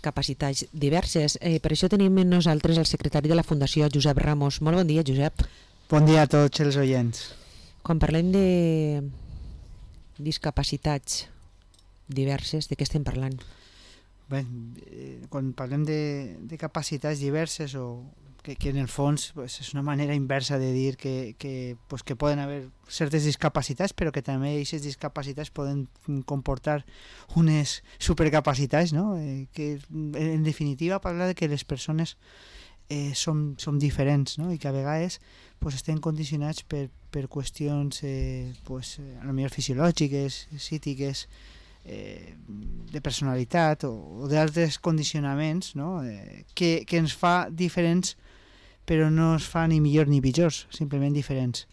capacitats diverses. Per això tenim amb nosaltres el secretari de la Fundació, Josep Ramos. Molt bon dia, Josep. Bon dia a tots els oients. Quan parlem de discapacitats diverses, de què estem parlant? Bé, quan parlem de capacitats diverses, o que en el fons pues, és una manera inversa de dir que poden haver certes discapacitats, però que també aquestes discapacitats poden comportar unes supercapacitats, no? Que en definitiva parla de que les persones som diferents, no? I que a vegades estem condicionats per qüestions a lo millor fisiològiques, psíquiques, de personalitat o d'altres condicionaments, no? que ens fa diferents, però no es fa ni millor ni pitjors, simplement diferents.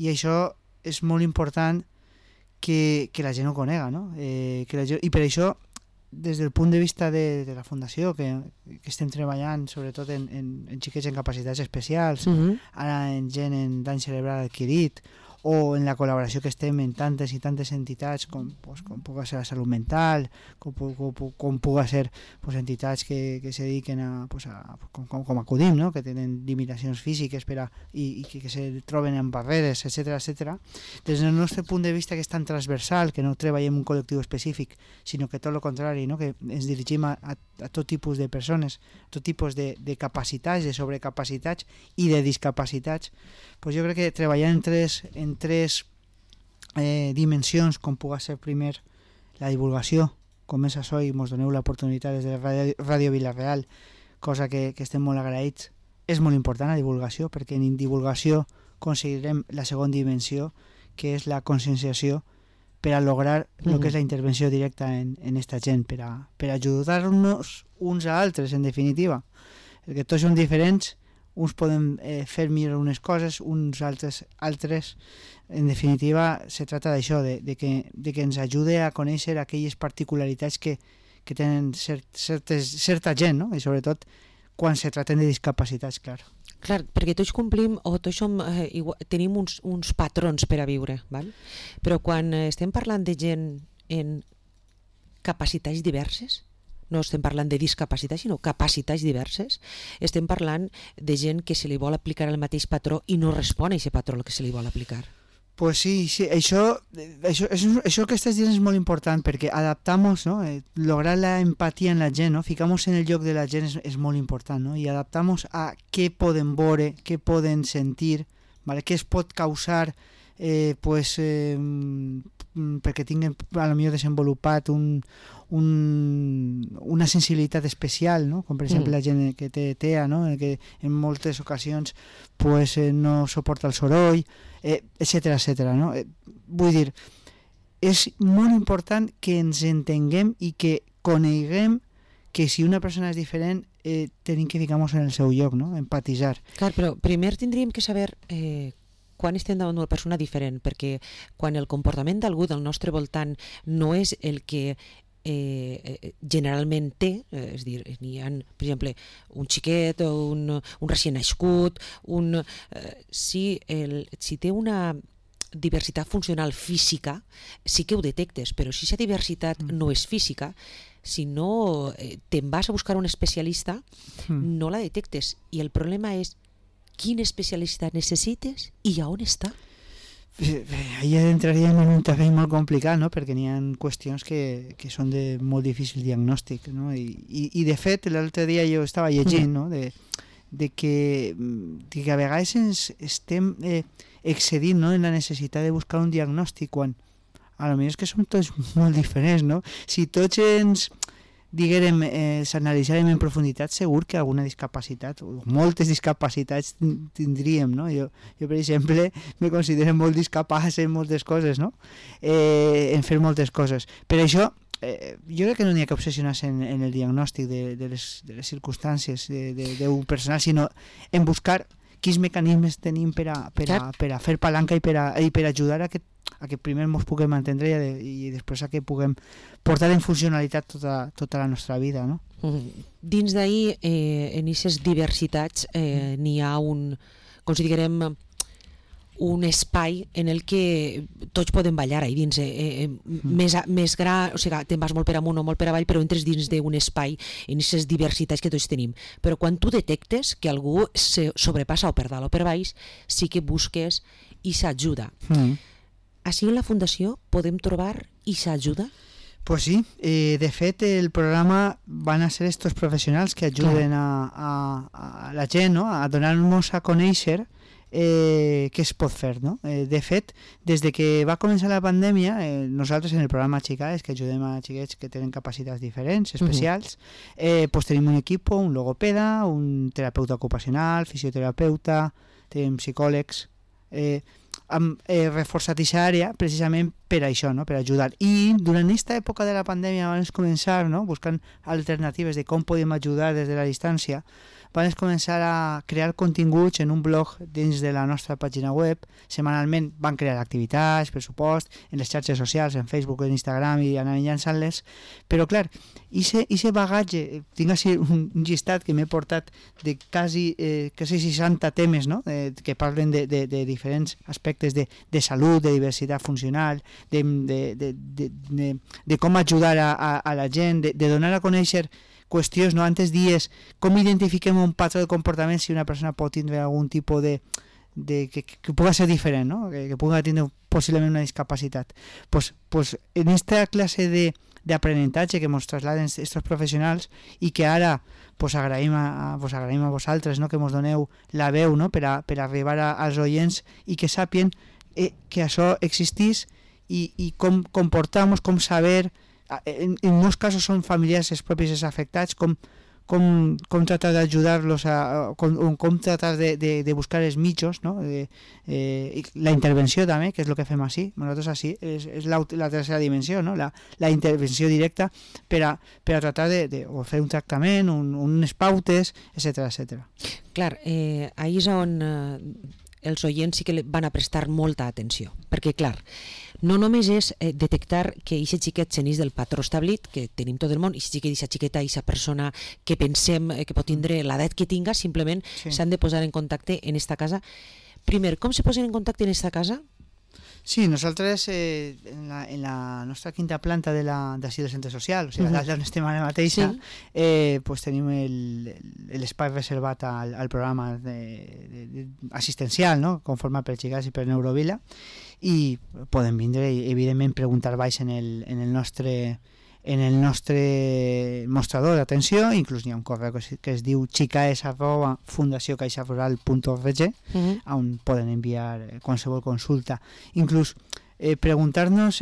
I això és molt important que la gent ho conega, no? I per això, des del punt de vista de la Fundació, que estem treballant sobretot en xiquets en capacitats especials, ara en gent en dany cerebral adquirit, o en la col·laboració que estem en tantes i tantes entitats com pugui ser la salut mental, com pugui ser entitats que se dediquen com acudim, no? Que tenen limitacions físiques i que se troben en barreres, etc. Des del nostre punt de vista, que és tan transversal, que no treballem un col·lectiu específic, sinó que tot el contrari, no? Que ens dirigim a tot tipus de persones, a tot tipus de capacitats, de sobrecapacitats i de discapacitats. Jo crec que treballar en tres dimensions, com pugui ser primer la divulgació, com és això, i ens doneu l'oportunitat des de Ràdio Vila-real, cosa que estem molt agraïts. És molt important la divulgació, perquè en divulgació aconseguirem la segona dimensió, que és la conscienciació, per a lograr el que és la intervenció directa en aquesta gent, per ajudar-nos uns a altres, en definitiva, perquè tots som diferents. Uns poden fer millor unes coses, uns altres. En definitiva, se trata d'això, de que ens ajude a conèixer aquelles particularitats que tenen certa gent, no? I sobretot quan se traten de discapacitats, clar. Clar, perquè tots complim o tots tenim uns patrons per a viure, val? Però quan estem parlant de gent en capacitats diverses, no estem parlant de discapacitats, sinó capacitats diverses, estem parlant de gent que se li vol aplicar el mateix patró i no respon a aquest patró que se li vol aplicar. Pues sí, això que estàs dient és molt important, perquè adaptamos, ¿no? Lograr la empatía en la gent, ¿no? Ficamos en el lloc de la gent és molt important, ¿no? I adaptamos a què poden veure, què poden sentir, ¿vale? Què es pot causar perquè tinguen a lo millor desenvolupat una sensibilitat especial, no? Com per exemple la gent que té TEA, no? Que en moltes ocasions no suporta el soroll, etcètera, no? Vull dir, és molt important que ens entenguem i que coneguem que si una persona és diferent tenim que ficar-nos en el seu lloc, no? Empatitzar. Clar, però primer tindríem que saber quan estem davant d'una persona diferent, perquè quan el comportament d'algú del nostre voltant no és el que generalment té, és a dir, n'hi ha, per exemple, un xiquet o un recient nascut, si té una diversitat funcional física, sí que ho detectes, però si aquesta diversitat no és física, si no te'n vas a buscar un especialista, no la detectes, i el problema és quin especialista necessites i a on està? Ahí entraríem en un terreny molt complicat, no? Perquè n'hi ha qüestions que són de molt difícil diagnòstic, no? I de fet l'altre dia jo estava llegint, no? de que a vegades estem excedint, no? En la necessitat de buscar un diagnòstic quan a lo millor és que som tots molt diferents, no? Si tots ens diguérem, s'analitzàrem en profunditat, segur que alguna discapacitat, o moltes discapacitats tindríem, no? Jo per exemple, me considero molt discapaç en moltes coses, no? En fer moltes coses. Per això, jo crec que no n'hi ha que obsessionar-se en el diagnòstic de les circumstàncies d'un personal, sinó en buscar quins mecanismes tenim per a fer palanca i per ajudar a que primer ens puguem entendre i després a que puguem portar en funcionalitat tota la nostra vida, no? Dins d'ahir, en aquestes diversitats, n'hi ha considerem un espai en el que tots podem ballar ahí dins, més gran, o sigui, te'n vas molt per amunt o molt per avall, però entres dins d'un espai en aquestes diversitats que tots tenim. Però quan tu detectes que algú se sobrepassa o per dalt o per baix, sí que busques i s'ajuda. Així en la Fundació podem trobar i s'ajuda? Pues sí, de fet el programa van a ser estos professionals que ajuden a la gent, no? A donar-nos a conèixer què es pot fer, no? De fet, des de que va començar la pandèmia, nosaltres en el programa Xicades, que ajudem a xiquets que tenen capacitats diferents, especials, pues tenim un equip, un logopeda, un terapeuta ocupacional, fisioterapeuta, tenim psicòlegs, hem reforçat aquesta àrea precisament per això, no? Per ajudar. I durant aquesta època de la pandèmia vam començar, no? Buscant alternatives de com podem ajudar des de la distància, vam començar a crear continguts en un blog dins de la nostra pàgina web. Setmanalment van crear activitats, per supost, en les xarxes socials, en Facebook, en Instagram, i anar llançant-les. Però clar, aquest bagatge, tinc així un llistat que m'he portat de quasi 60 temes, no? Que parlen de diferents aspectes de salut, de diversitat funcional, de com ajudar a la gent, de donar a conèixer qüestions, no? Antes dies, com identifiquem un patró de comportament si una persona pot tindre algun tipus que pugui ser diferent, no? Que pugui tindre possiblement una discapacitat. Pues en aquesta classe d'aprenentatge que ens trasladen aquests professionals i que ara agraïm a vosaltres, no? Que ens doneu la veu, no? per arribar als oients i que sàpien que això existís i com comportar-nos, com saber. En molts casos són familiars els propis afectats, com tratar d'ajudar-los, com tratar de buscar els mitjos, no? La intervenció també, que és el que fem així. Nosaltres així és la tercera dimensió, no? La intervenció directa per a tratar de fer un tractament, unes pautes, etc. Clar, ahí és on els oients sí que van a prestar molta atenció, perquè clar, no només és detectar que aquest xiquet s'enís del patró establit, que tenim tot el món, i si aquesta xiqueta, aquesta persona que pensem que pot tindre l'edat que tinga, simplement s'han de posar en contacte en esta casa. Primer, com se posen en contacte en esta casa? Sí, nosaltres en la nostra quinta planta d'ací del centre social, o sigui, dalt d'on estem ara mateixa, pues tenim l'espai reservat al programa assistencial, no? Conformat per Xicades i per Neurovila, i poden vindre i evidentment preguntar baix en el nostre mostrador d'atenció. Inclús hi ha un correu que es diu xicades@fundaciocaixarural.org, on poden enviar qualsevol consulta, inclús preguntar-nos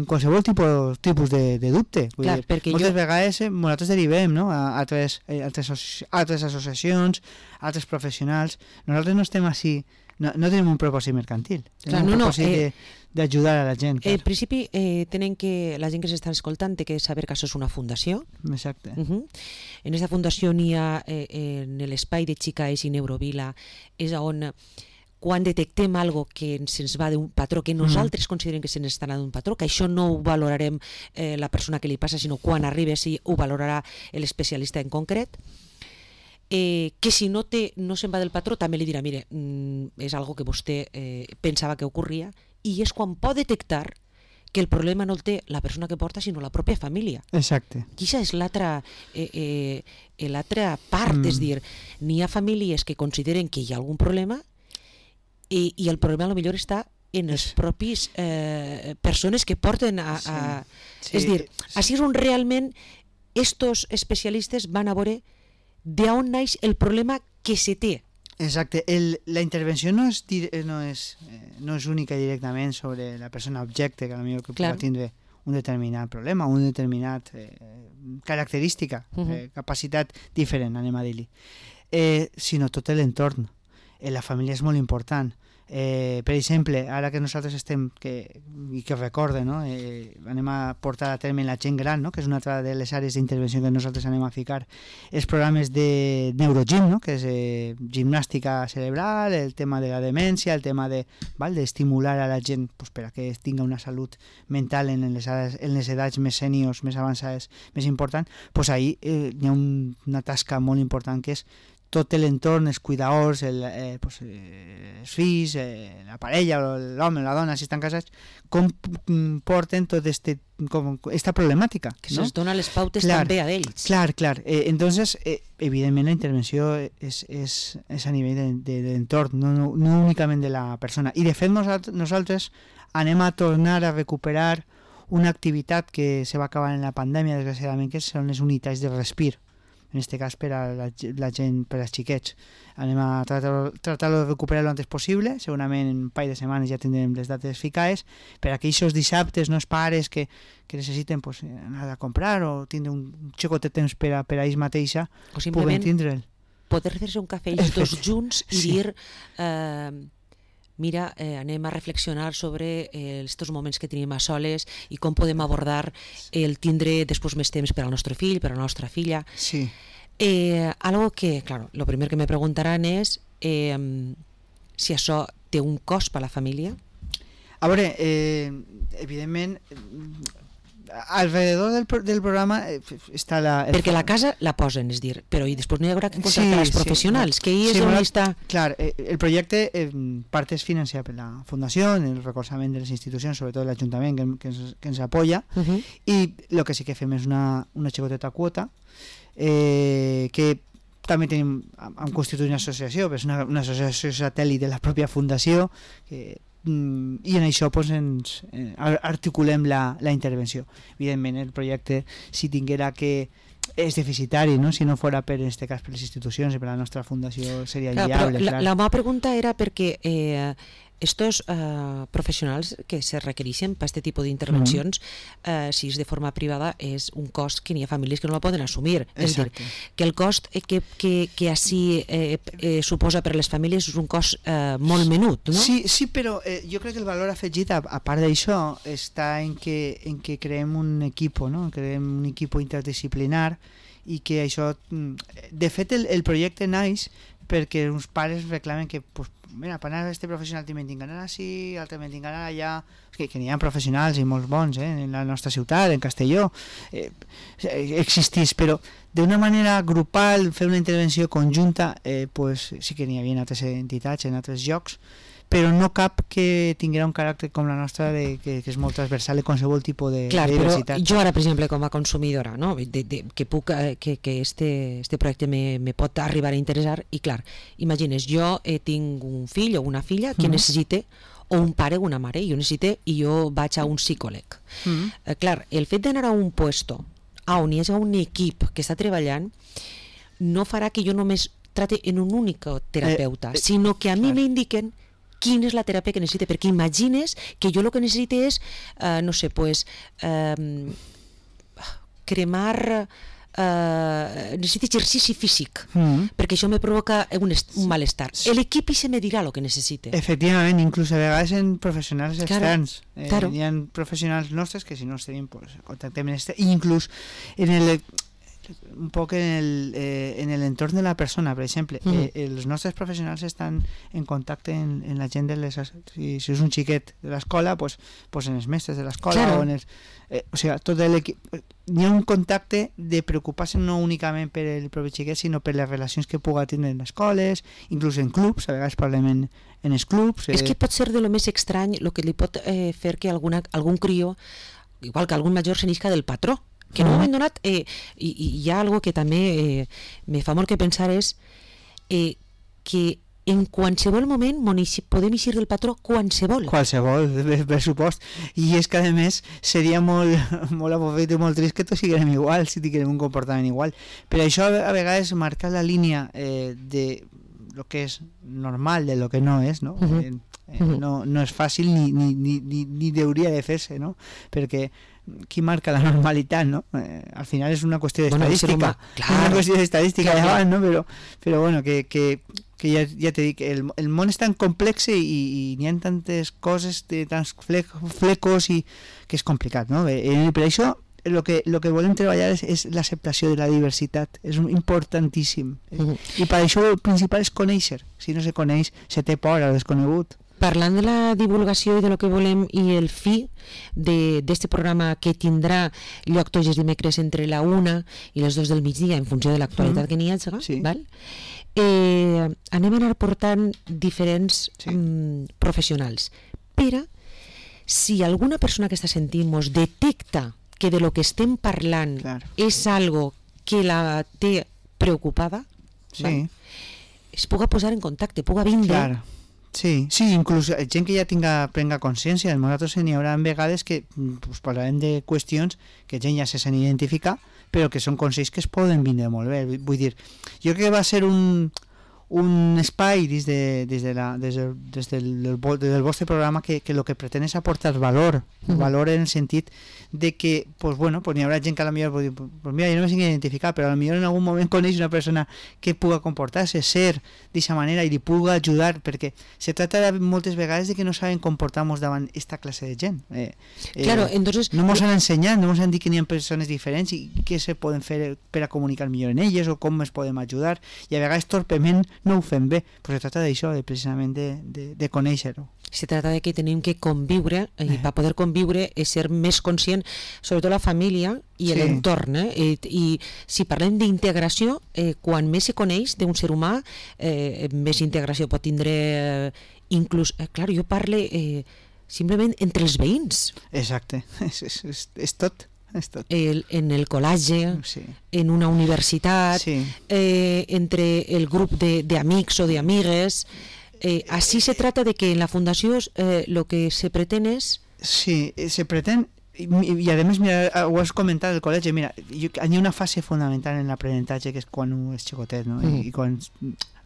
qualsevol tipus de dubte. Clar, moltes vegades nosaltres derivem, no? a altres associacions, altres professionals. Nosaltres no estem així, no tenim un propòsit mercantil, tenim un propòsit d'ajudar a la gent. En principi, tenen que la gent que s'està escoltant té que saber que això és una fundació. Exacte. En aquesta fundació n'hi ha en l'espai de Xicades i Neurovila, és on quan detectem algo que se'ns va d'un patró, que nosaltres considerem que se'ns està anant d'un patró, que això no ho valorarem la persona que li passa, sinó quan arribi sí ho valorarà l'especialista en concret, que si no se'n va del patró també li dirà, mire, és algo que vostè pensava que ocorria, i és quan pot detectar que el problema no el té la persona que porta, sinó la pròpia família. Exacte. I això és l'altra part, és dir, n'hi ha famílies que consideren que hi ha algun problema i el problema potser està en els propis persones que porten a... És dir, així és on realment estos especialistes van a veure d'on naix el problema que se té. Exacte, la intervenció no és única directament sobre la persona objecte, que potser que pugui tindre un determinat problema, una determinat característica, capacitat diferent, anem a dir-li, sinó tot l'entorn. La família és molt important. Per exemple, ara que nosaltres estem i que recorde, no? Anem a portar a terme la gent gran, no? Que és una altra de les àrees d'intervenció que nosaltres anem a ficar, els programes de neurogym, no? Que és gimnàstica cerebral, el tema de la demència, el tema d'estimular a la gent per a que tinga una salut mental en les edats més sèniors, més avançades, més important. Ahí hi ha una tasca molt important que és tot l'entorn, els cuidadors, els fills, la parella, l'home, la dona, si estan casats, com porten tot esta problemàtica. Que se'ls dona les pautes també a ells. Clar. Entonces, evidentment, la intervenció és a nivell de l'entorn, no únicament de la persona. I, de fet, nosaltres anem a tornar a recuperar una activitat que se va acabar en la pandèmia, desgraciadament, que són les unitats de respir. En aquest cas per a la gent, per als xiquets. Anem a tratar-lo de recuperar lo antes possible, segurament en un parell de setmanes ja tindrem les dates ficades, per a aquells dissabtes, no els pares que necessiten pues, anar a comprar o tindre un xicotet de temps per a ells mateixa, o simplement tindre'l. Poder fer-se un cafè ells dos junts i dir... mira, anem a reflexionar sobre estos moments que tenim a soles i com podem abordar el tindre després més temps per al nostre fill, per a la nostra filla. Sí. Algo que, claro, lo primer que me preguntaran és si això té un cost per a la família. A veure, evidentment, alrededor del programa està perquè la casa la posen, és dir, però i després no hi haurà que contractar els professionals, que ahí és on està... Clar, el projecte part és financiat per la Fundació, el recolzament de les institucions, sobretot l'Ajuntament que ens apoya, i el que sí que fem és una xicoteta quota, que també hem constituït una associació, però és una associació satèl·lit de la pròpia Fundació, i en això pues, articulem la intervenció. Evidentment el projecte, si tinguera que és deficitari, ¿no? Si no fora per en este cas per les institucions i per la nostra fundació seria inviable. La meva pregunta era perquè estos professionals que se requereixen per aquest tipus d'intervencions, si és de forma privada, és un cost que n'hi ha famílies que no la poden assumir. És dir, que el cost que així suposa per a les famílies és un cost molt menut, no? Sí, però jo crec que el valor afegit, a part d'això, està en que creem un equip, no? Creem un equip interdisciplinar i que això... De fet, el projecte naix perquè uns pares reclamen que pues, mira, per anar a este professional també tinc d'anar així, altre també tinc d'anar allà, que n'hi ha professionals i molts bons en la nostra ciutat, en Castelló, existís, però d'una manera grupal, fer una intervenció conjunta, pues, sí que n'hi havia en altres entitats, en altres llocs, però no cap que tinguera un caràcter com la nostra que és molt transversal en qualsevol tipus de diversitat. Però jo ara, per exemple, com a consumidora, no? que este projecte me pot arribar a interessar, i clar, imagines, jo tinc un fill o una filla que necessite, o un pare o una mare, jo necessite, i jo vaig a un psicòleg. Clar, el fet d'anar a un puesto on hi hagi un equip que està treballant no farà que jo només trate en un únic terapeuta, sinó que a mi m'indiquen quina és la teràpia que necessite, perquè imagines que jo el que necessite és, no sé, pues, cremar... necessito exercici físic, perquè això me provoca un malestar. L'equip se me dirà el que necessite. Efectivament, inclús a vegades en professionals externs. Claro. Hi ha professionals nostres que si no els tenim, pues, contactem en este, i inclús en el... un poc en l'entorn de la persona, per exemple, els nostres professionals estan en contacte en la gent de les... Si és un xiquet de l'escola, pues en els mestres de l'escola, claro. O en els... o sigui, tot l'equip... Hi ha un contacte de preocupar-se no únicament per el propi xiquet, sinó per les relacions que puga tindre en les escoles, inclús en clubs, a vegades parlem en els clubs. És que pot ser de lo més estrany el que li pot fer que algun crió, igual que algun major, se n'isca del patró, que en un moment donat, i hi ha algo que també me fa molt que pensar, és que en qualsevol moment podem eixir del patró qualsevol, per supost, i és que a més seria molt avorrit i molt trist que tots siguem igual, si tinguem un comportament igual, però això a vegades marca la línia de lo que és normal de lo que no és, no? No és fàcil ni hauria de fer-se, no? Perquè qui marca la normalitat, no? Al final és una qüestió d'estadística, una qüestió d'estadística davant, no? Però bueno, que ja t'he dit, el món és tan complex i n'hi ha tantes coses, tants flecos, i que és complicat, no? Per això el que volem treballar és l'acceptació de la diversitat, és importantíssim, i per això el principal és conèixer. Si no se coneix, se té por al desconegut. Parlant de la divulgació i de lo que volem i el fi d'este programa que tindrà lloc tots els dimecres entre la 1 i les 2 del migdia en funció de l'actualitat que n'hi hagi, sí. Val? anem a anar portant diferents professionals. Però si alguna persona que està sentint mos detecta que de lo que estem parlant és algo que la té preocupada, es puga posar en contacte, puga vindre. Sí, inclús gent que ja prenga consciència. Nosaltres n'hi haurà vegades que parlarem de qüestions que gent ja se sent identificar, però que són consells que es poden vindre molt bé. Vull dir, jo crec que va ser un espai des del vostre programa que el que pretén és aportar valor en el sentit de que n'hi haurà gent que potser pot dir, mira, jo no me sento identificar, però potser en algun moment coneix una persona que puga comportar-se, ser d'aquesta manera i li puga ajudar, perquè se trata moltes vegades de que no saben comportar-nos davant aquesta classe de gent. Claro, entonces, no ens han ensenyat, no ens han dit que hi ha persones diferents i què se poden fer per a comunicar millor en elles o com es podem ajudar, i a vegades torpement no ho fem bé, però se trata d'això, precisament de conèixer-ho. Se trata de que tenim que conviure, i per poder conviure és ser més conscient, sobretot la família i l'entorn. I si parlem d'integració, quan més se coneix d'un ser humà, més integració pot tindre. Inclús, clar, jo parle simplement entre els veïns. Exacte, és tot. En el col·legi, en una universitat, entre el grup d'amics o d'amigues. Así se trata de que en la fundació lo que se pretén és... Sí, se pretén, i a més, mira, ho has comentat al col·legi, mira, hi ha una fase fundamental en l'aprenentatge que és quan un és xicotet, no? I quan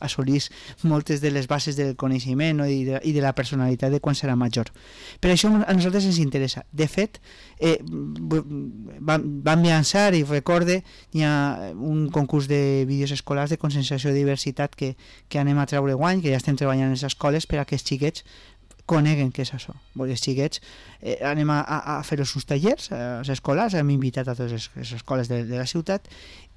assolís moltes de les bases del coneixement, no? I de la personalitat de quan serà major. Per això a nosaltres ens interessa. De fet, vam llançar, i recorde, hi ha un concurs de vídeos escolars de conscienciació de diversitat que anem a treure guany, que ja estem treballant en les escoles per a que els xiquets coneguen què és això. Els xiquets anem a fer-los uns tallers als escolars, hem invitat a totes les escoles de la ciutat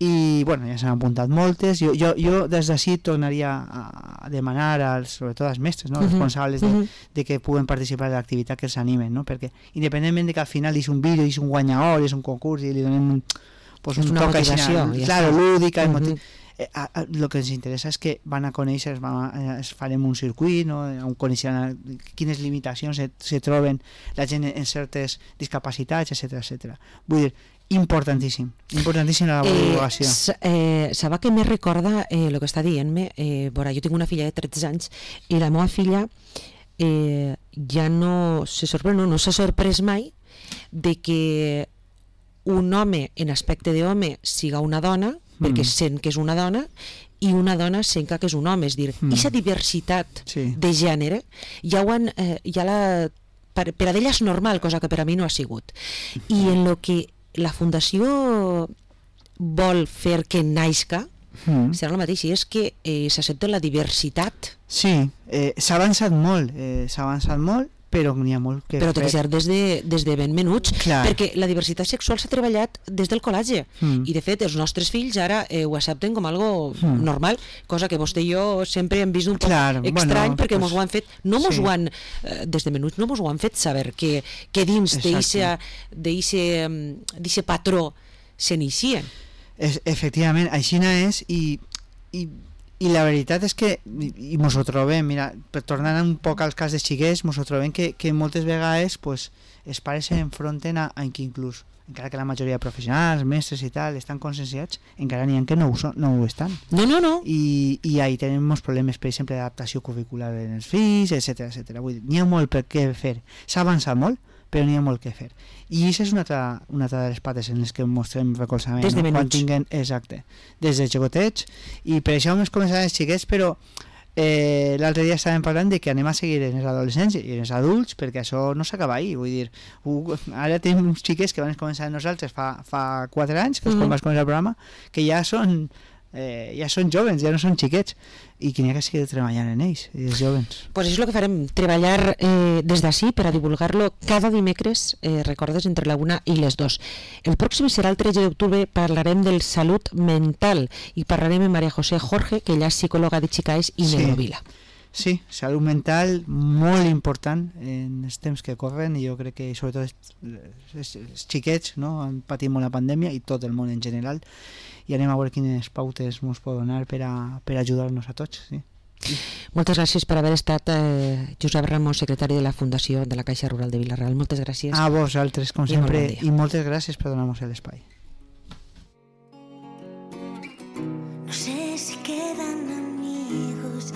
i ja s'han apuntat moltes. Jo des d'ací tornaria a demanar sobretot als mestres, responsables de que puguen participar de l'activitat, que els animen, perquè independentment de que al final és un vídeo, és un guanyador, és un concurs i li donem un una motivació lúdica, el que ens interessa és que van a conèixer, farem un circuit, on coneixeran quines limitacions se troben la gent en certes discapacitats, etc. Vull dir, importantíssim la divulgació. Sabeu que me recorda el que està dient-me? Jo tinc una filla de 13 anys i la meva filla ja no s'ha sorprès mai de que un home en aspecte d'home siga una dona, perquè sent que és una dona, i una dona sent que és un home. És dir, aquesta diversitat de gènere per a ella és normal, cosa que per a mi no ha sigut. I en el que la Fundació vol fer que naixca serà el mateix, i és que s'accepta la diversitat. Sí, s'ha avançat molt, però n'hi ha molt que però té que ser des de ben menuts, perquè la diversitat sexual s'ha treballat des del col·legi i de fet els nostres fills ara ho accepten com algo normal, cosa que vostè i jo sempre hem vist un poc estrany, perquè mos ho han fet, des de menuts no mos ho han fet saber que dins d'eixe patró s'inicia. Efectivament, així és, i la veritat és que mos ho trobem, mira, per tornar un poc al cas de xiquets, mos ho trobem que moltes vegades els pares s'enfronten a que inclús, encara que la majoria de professionals, mestres i tal, estan conscienciats, encara n'hi ha que no ho estan. No. I ahí tenim molts problemes, per exemple, d'adaptació curricular en els fills, etc. Vull dir, n'hi ha molt per què fer. S'ha avançat molt, però n'hi ha molt que fer. I això és una altra de les pates en les que mostrem recolzament. Des de menuts. Exacte, des de xicotets, i per això hem començat els xiquets, però l'altre dia estàvem parlant de que anem a seguir en els adolescents i en els adults, perquè això no s'acaba ahir. Vull dir, ara tenim uns xiquets que van començar amb nosaltres fa 4 anys, que és quan vas començar el programa, que ja són jovens, ja no són xiquets, i que n'hi ha que seguir treballant en ells, els jovens. Pues és el que farem, treballar des d'ací per a divulgar-lo cada dimecres, recordes, entre la 1 i les 2. El pròxim serà el 13 d'octubre, parlarem del salut mental i parlarem amb María José Jorge, que ella és psicòloga de Chicaes i Neurovila. Sí, salut mental molt important en els temps que corren, i jo crec que sobretot els xiquets, no, han patit molt la pandèmia i tot el món en general, i anem a veure quines pautes ens pot donar per ajudar-nos a tots. Sí. Moltes gràcies per haver estat Josep Ramos, secretari de la Fundació de la Caixa Rural de Vila-real. Moltes gràcies. A vosaltres, com sempre, i moltes gràcies per donar-nos l'espai. No sé si quedan amigos